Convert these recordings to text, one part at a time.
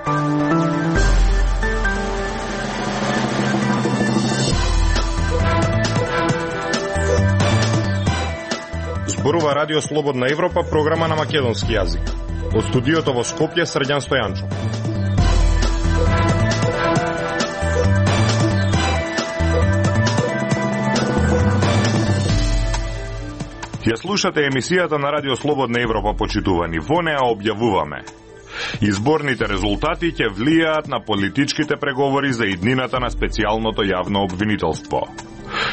Зборува Радио Слободна Европа, програма на македонски јазик. Од студиото во Скопје, Срđan Стојанчов. Ја слушате емисијата на Радио Слободна Европа, почитувани. Во неа објавуваме: изборните резултати ќе влијаат на политичките преговори за иднината на специјалното јавно обвинителство.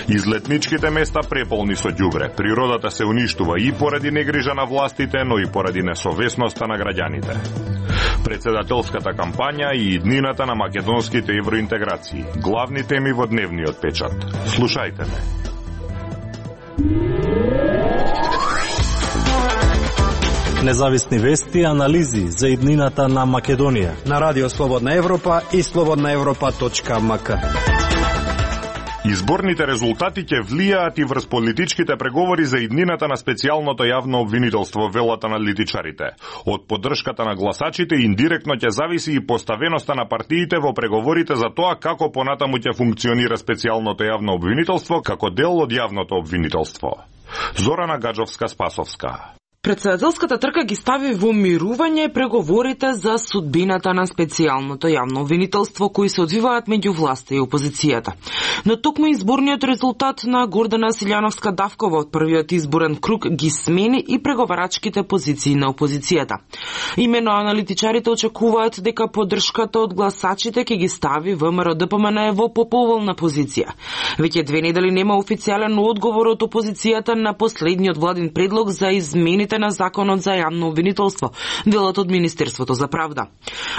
Излетничките места преполни со ѓубре. Природата се уништува и поради негрижа на властите, но и поради несовесноста на граѓаните. Председателската кампања и иднината на македонските евроинтеграции. Главни теми во дневниот печат. Слушајте ме. Независни вести и анализи за иднината на Македонија на Радио Слободна Европа и slobodnaevropa.mk. Изборните резултати ќе влијаат и врз политичките преговори за иднината на специјалното јавно обвинителство, велат аналитичарите. Од поддршката на гласачите индиректно ќе зависи и поставеноста на партиите во преговорите за тоа како понатаму ќе функционира специјалното јавно обвинителство како дел од јавното обвинителство. Зорана Гаджовска-Спасовска. Председателската трка ги стави во мирување преговорите за судбината на специјалното јавно обвинителство кои се одвиваат меѓу власта и опозицијата. Но токму изборниот резултат на Гордана Силјановска-Давкова од првиот изборен круг ги смени и преговарачките позиции на опозицијата. Имено аналитичарите очекуваат дека поддршката од гласачите ќе ги стави ВМРО-ДПМН во поповолна позиција. Веќе 2 недели нема официјален одговор од опозицијата на последниот владин предлог за измените на законот за јавно обвинителство, велат од Министерството за правда.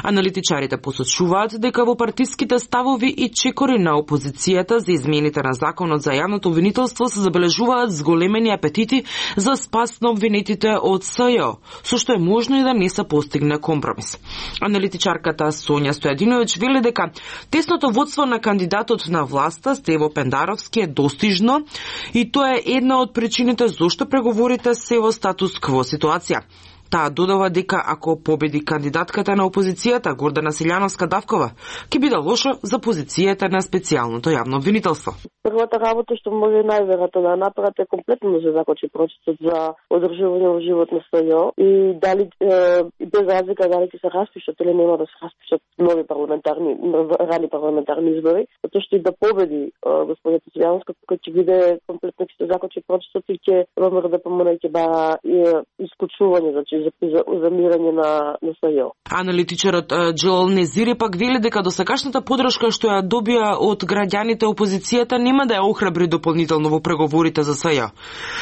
Аналитичарите посочуваат дека во партиските ставови и чекори на опозицијата за измените на законот за јавното обвинителство се забележуваат зголемени апетити за спас на обвинетите од СЈО, со што е можно и да не се постигне компромис. Аналитичарката Сонја Стојадиновиќ вели дека тесното водство на кандидатот на власта Стево Пендаровски е достижно и тоа е една од причините зошто преговорите се во статус кво ситуација. Таа додава дека ако победи кандидатката на опозицијата Гордана Силјановска-Давкова, ќе биде лошо за позицијата на специјалното јавно обвинителство. Првата работа што може најверојатно да направат е комплетно да се закочи процесот за одржување во живот на СЈО и дали без разлика дали ќе се распишат или нема да се распишат нови рани парламентарни избори, затоа што и да победи господината Силјановска, кој ќе биде комплетно ќе се закочи процесот и ќе ВМРО-ДПМН ќе бара исклучување, значи за замирање на СЈО. Аналитичарот Џелал Незири пак вели дека досегашната поддршка што ја добија од граѓаните опозицијата нема да ја охрабри дополнително во преговорите за СЈО,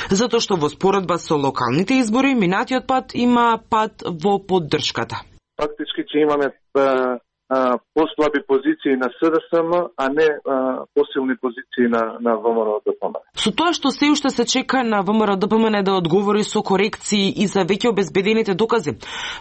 затоа што во споредба со локалните избори минатиот пат има пат во поддршката. Фактички ќе имаме послаби позиции на СДСМ, а не посилни позиции на ВМРО-ДПМН. Со тоа што се уште се чека на ВМРО-ДПМН да одговори со корекции и за веќе обезбедените докази,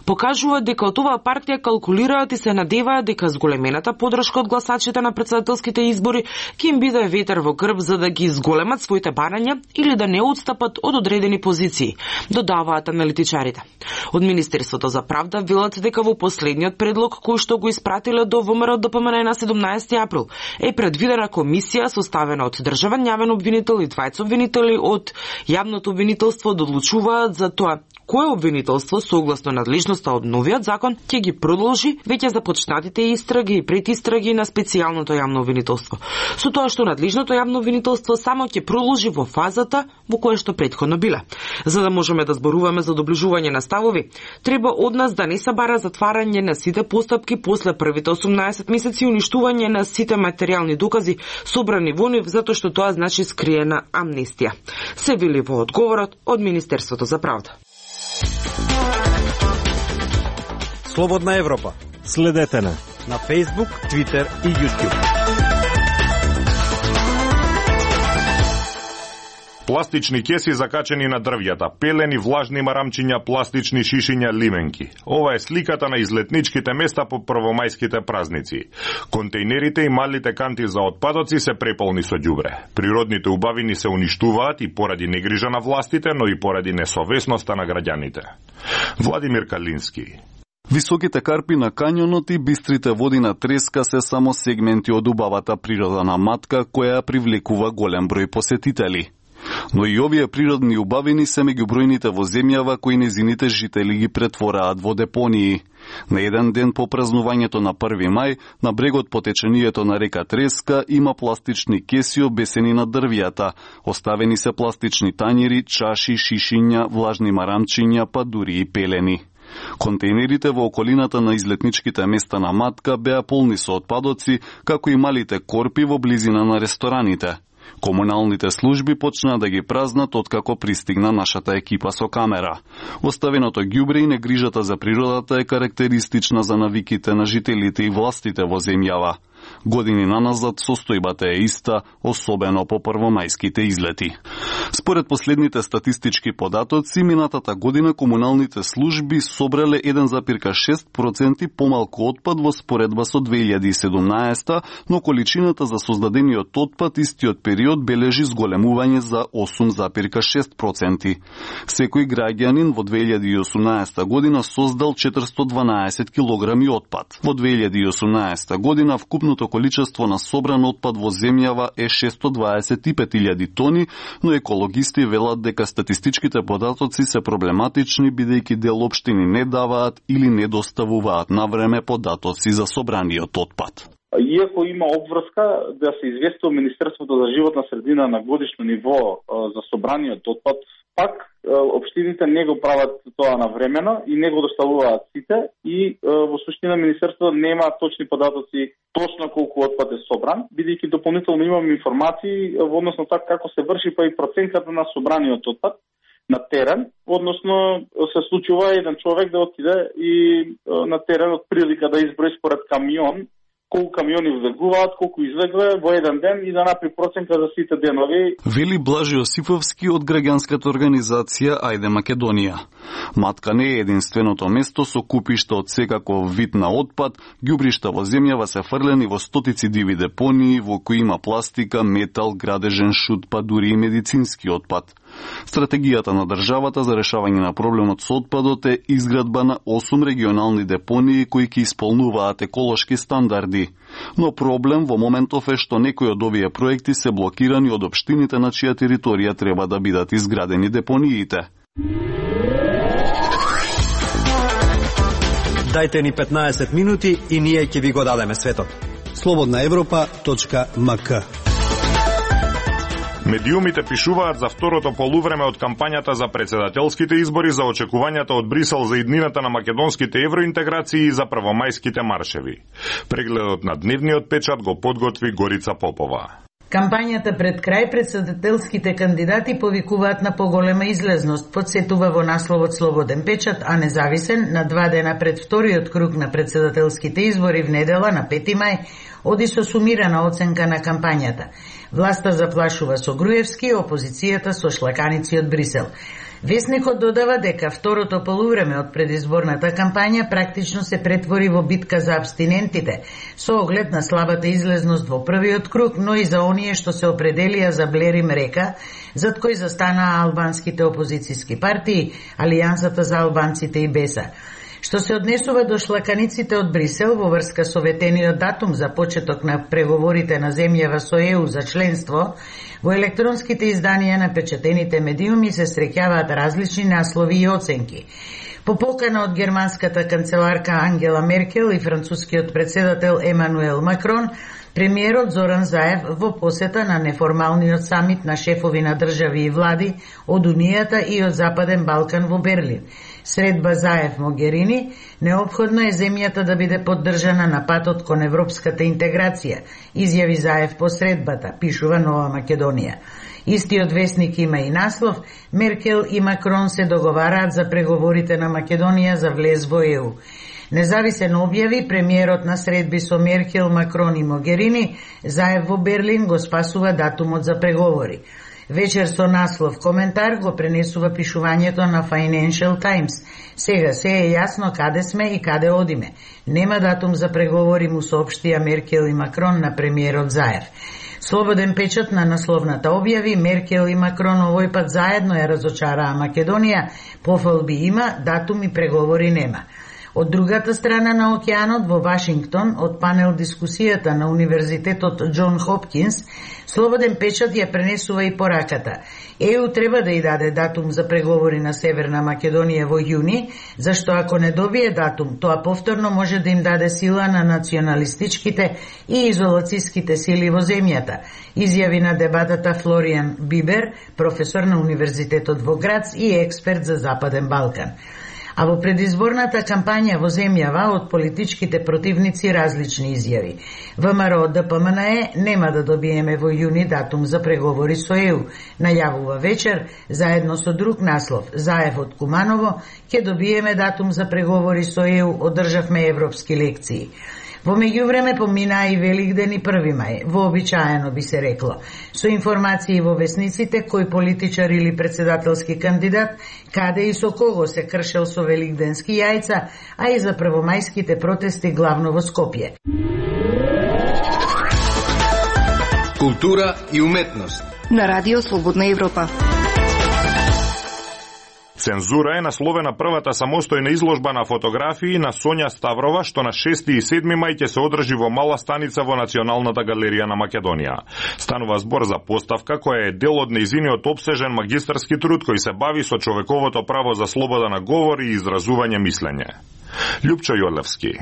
покажува дека од оваа партија калкулираат и се надеваат дека зголемената поддршка од гласачите на председателските избори ќе им биде ветер во грб за да ги зголемат своите барања или да не отстапат од одредени позиции, додаваат аналитичарите. Од Министерството за правда велат дека во последниот предлог кој што го испратиле до ВМРО-ДПМН на 17 април е предвидена комисија составена од државен јавен обвинител и двајца обвинители од јавното обвинителство да одлучуваат за тоа кое обвинителство согласно надлежноста од новиот закон ќе ги продолжи веќе започнатите истраги и предистраги на специјалното јавно обвинителство. Со тоа што надлежното јавно обвинителство само ќе продолжи во фазата во која што претходно биле. За да можеме да зборуваме за доближување на ставови, треба од нас да не се бара затварање на сите постапки после првите 18 месеци и уништување на сите материјални докази собрани во нив, затоа што тоа значи скриена амнестија. Се вели во одговорот од Министерството за правда. Слободна Европа. Следете на Facebook, Twitter и YouTube. Пластични кеси закачени на дрвјата, пелени, влажни марамчиња, пластични шишиња, лименки. Ова е сликата на излетничките места по првомајските празници. Контејнерите и малите канти за отпадоци се преполни со ѓубре. Природните убавини се уништуваат и поради негрижа на властите, но и поради несовесноста на граѓаните. Владимир Калински. Високите карпи на кањонот и бистрите води на треска се само сегменти од убавата природа на Матка, која привлекува голем број посетители. Но и овие природни убавини се меѓу бројните во земјава кои незините жители ги претвораат во депонии. На еден ден по празнувањето на 1 мај, на брегот по течението на река Треска има пластични кеси обесени на дрвијата. Оставени се пластични тањери, чаши, шишиња, влажни марамчиња, па дури и пелени. Контейнерите во околината на излетничките места на Матка беа полни со отпадоци, како и малите корпи во близина на рестораните. Комуналните служби почнаа да ги празнат откако пристигна нашата екипа со камера. Оставеното ѓубре и негрижата за природата е карактеристична за навиките на жителите и властите во земјава. Години наназад состојбата е иста, особено по првомајските излети. Според последните статистички податоци, минатата година комуналните служби собрале 1,6% помалку отпад во споредба со 2017, но количината за создадениот отпад истиот период бележи зголемување за 8,6%. Секој граѓанин во 2018 година создал 412 килограми отпад. Во 2018 година вкупното количество на собран отпад во земјава е 625.000 тони, но екологисти велат дека статистичките податоци се проблематични бидејќи дел општини не даваат или не доставуваат на време податоци за собраниот отпад. Иако има обврска да се известува Министерството за животна средина на годишно ниво за собраниот отпад, пак општините не го прават тоа навремено и не го доставуваат сите и во суштина Министерството нема точни податоци точно колку отпад е собран, бидејќи дополнително имам информации во однос на тоа како се врши па и проценката на собраниот отпад на терен, односно се случува еден човек да отиде и на терен од прилика да изброи според камион колку камиони влегуваат, колку излегле во еден ден и да направи проценка за сите денови. Вели Блажи Осиповски од граѓанската организација Ајде Македонија. Матка не е единственото место со купишта од секаков вид на отпад, ѓубришта во земјава се фрлени во стотици диви депонии во кои има пластика, метал, градежен шут, па дури и медицински отпад. Стратегијата на државата за решавање на проблемот со отпадот е изградба на 8 регионални депонии кои ќе исполнуваат еколошки стандарди. Но проблем во моментов е што некои од овие проекти се блокирани од општините на чија територија треба да бидат изградени депониите. Дајте ни 15 минути и ние ќе ви го дадеме светот. slobodnaevropa.mk. Медиумите пишуваат за второто полувреме од кампањата за председателските избори, за очекувањата од Брисел за иднината на македонските евроинтеграции и за првомајските маршеви. Прегледот на дневниот печат го подготви Горица Попова. Кампањата пред крај, председателските кандидати повикуваат на поголема излезност, подсетува во насловот Слободен печат, а независен на 2 дена пред вториот круг на председателските избори в недела на 5 мај, оди со сумирана оценка на кампањата. Власта заплашува со Груевски, опозицијата со шлаканици од Брисел. Весникот додава дека второто полувреме од предизборната кампања практично се претвори во битка за абстинентите, со оглед на слабата излезност во првиот круг, но и за оние што се определија за Блерим Река, зад кој застанаа албанските опозицијски партии, Алијансата за албанците и Беса. Што се однесува до шлаканиците од Брисел во врска со ветениот датум за почеток на преговорите на земјава со ЕУ за членство, во електронските изданија на печатените медиуми се среќаваат различни наслови и оценки. По покана од германската канцеларка Ангела Меркел и францускиот председател Емануел Макрон, премиерот Зоран Заев во посета на неформалниот самит на шефови на држави и влади од Унијата и од Западен Балкан во Берлин. Средба Заев Могерини, неопходно е земјата да биде поддржана на патот кон европската интеграција, изјави Заев по средбата, пишува Нова Македонија. Истиот весник има и наслов Меркел и Макрон се договараат за преговорите на Македонија за влез во ЕУ. Независен објави, премиерот на средби со Меркел, Макрон и Могерини, Заев во Берлин го спасува датумот за преговори. Вечер со наслов коментар го пренесува пишувањето на Financial Times. Сега се е јасно каде сме и каде одиме. Нема датум за преговори, му соопштија Меркел и Макрон на премиерот Заев. Слободен печат на насловната објави, Меркел и Макрон овој пат заедно ја разочараа Македонија, пофалби има, датум и преговори нема. Од другата страна на океанот во Вашингтон, од панел дискусијата на Универзитетот Џон Хопкинс, Слободен печат ја пренесува и пораката. ЕУ треба да ја даде датум за преговори на Северна Македонија во јуни, зашто ако не добие датум, тоа повторно може да им даде сила на националистичките и изолацијските сили во земјата, изјави на дебатата Флориан Бибер, професор на Универзитетот во Грац и експерт за Западен Балкан. А во предизборната кампања во земјава од политичките противници различни изјави. ВМРО ДПМНЕ нема да добиеме во јуни датум за преговори со ЕУ, најавува вечер, заедно со друг наслов, Заев од Куманово, ќе добиеме датум за преговори со ЕУ, одржавме европски лекции. Во меѓувреме поминаа и Великден и 1 мај, вообичаено би се рекло. Со информации во весниците кој политичар или председателски кандидат, каде и со кого се кршел со великденски јајца, а и за првомајските протести главно во Скопје. Култура и уметност на Радио Слободна Европа. Цензура е насловена првата самостојна изложба на фотографии на Сонја Ставрова, што на 6 и 7 мај ќе се одржи во Мала Станица во Националната галерија на Македонија. Станува збор за поставка која е дел од нејзиниот опсежен магистарски труд кој се бави со човековото право за слобода на говор и изразување мислење. Љупчо Јолевски.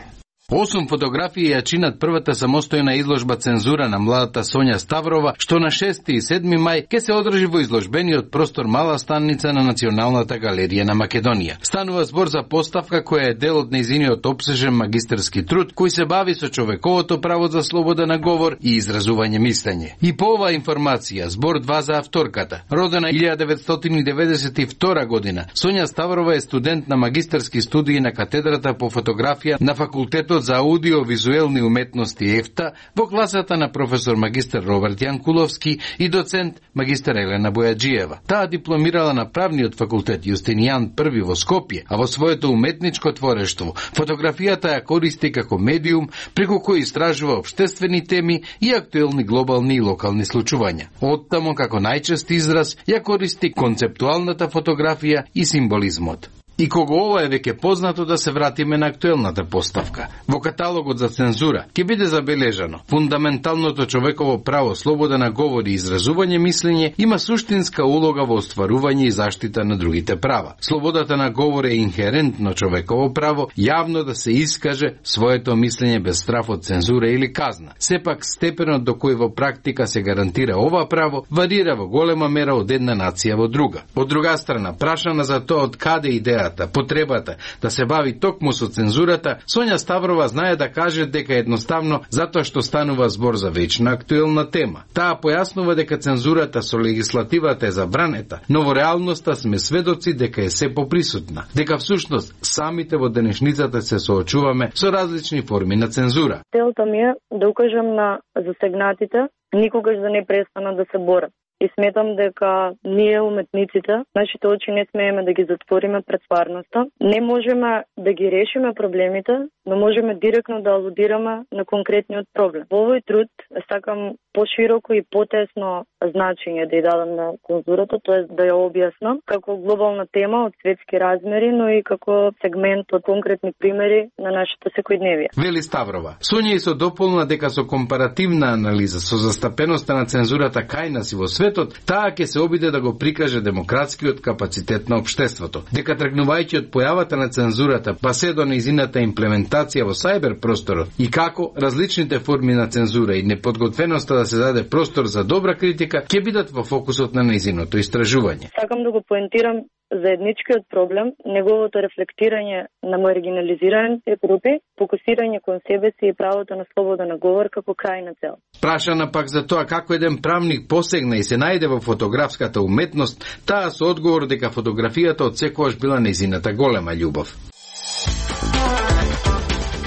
8 фотографии ја чинат првата самостојна изложба Цензура на младата Сонја Ставрова, што на 6 и 7 мај ќе се одржи во изложбениот простор Мала Станица на Националната галерија на Македонија. Станува збор за поставка која е дел од нејзиниот опсежен магистарски труд кој се бави со човековото право за слобода на говор и изразување мислење. И по оваа информација, збор 2 за авторката. Родена 1992 година, Сонја Ставрова е студент на магистарски студии на катедрата по фотографија на факултетот за аудиовизуелни уметности ЕФТА во класата на професор магистар Роберт Јанкуловски и доцент магистар Елена Бојаджиева. Таа дипломирала на правниот факултет Јустинијан I во Скопје, а во своето уметничко творештво фотографијата ја користи како медиум преку кој истражува општествени теми и актуелни глобални и локални случувања. Оттамо како најчест израз ја користи концептуалната фотографија и символизмот. И кога ова е веќе познато, да се вратиме на актуелната поставка. Во каталогот за цензура ќе биде забележано: фундаменталното човеково право слобода на говор и изразување мислење има суштинска улога во остварување и заштита на другите права. Слободата на говор е инхерентно човеково право јавно да се искаже своето мислење без страф од цензура или казна. Сепак степенот до кој во практика се гарантира ова право варира во голема мера од една нација во друга. Од друга страна, прашана за тоа од каде идеја потребата да се бави токму со цензурата, Сонја Ставрова знае да каже дека едноставно затоа што станува збор за вечна актуелна тема. Таа појаснува дека цензурата со легислативата е забранета, но во реалноста сме сведоци дека е се поприсутна, дека всушност самите во денешницата се соочуваме со различни форми на цензура. Целта ми е да укажам на засегнатите никогаш да не престанат да се борат. И сметам дека ние, уметниците, нашите очи не смееме да ги затвориме пред стварноста. Не можеме да ги решиме проблемите, но можеме директно да алудираме на конкретниот проблем. Во овој труд сакам пошироко и потесно значење да ја дадам на цензурата, тоа да ја објаснам како глобална тема од светски размери, но и како сегмент од конкретни примери на нашето секојдневие. Вели Ставрова. Сонја и со дополна дека со компаративна анализа со застапеноста на цензурата кај нас и во светот, таа ќе се обиде да го прикаже демократскиот капацитет на општеството. Дека тргнувајќи од појавата на цензурата па се до нејзината имплементација во сајбер просторот и како различните форми на цензура и неподготвеноста да се даде простор за добра критика ќе бидат во фокусот на нејзиното истражување. Сакам да го поентирам заедничкиот проблем, неговото рефлектирање на маргинализираните групи, фокусирање кон себе си и правото на слобода на говор како крајна цел. Прашана пак за тоа како еден правник посегна и се најде во фотографската уметност, таа со одговор дека фотографијата отсекогаш била нејзината голема љубов.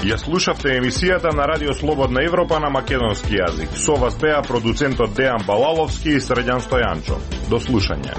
Ја слушавте емисијата на Радио Слободна Европа на македонски јазик. Со вас беа продуцентот Дејан Балаловски и Срđan Стојанчов. До слушање.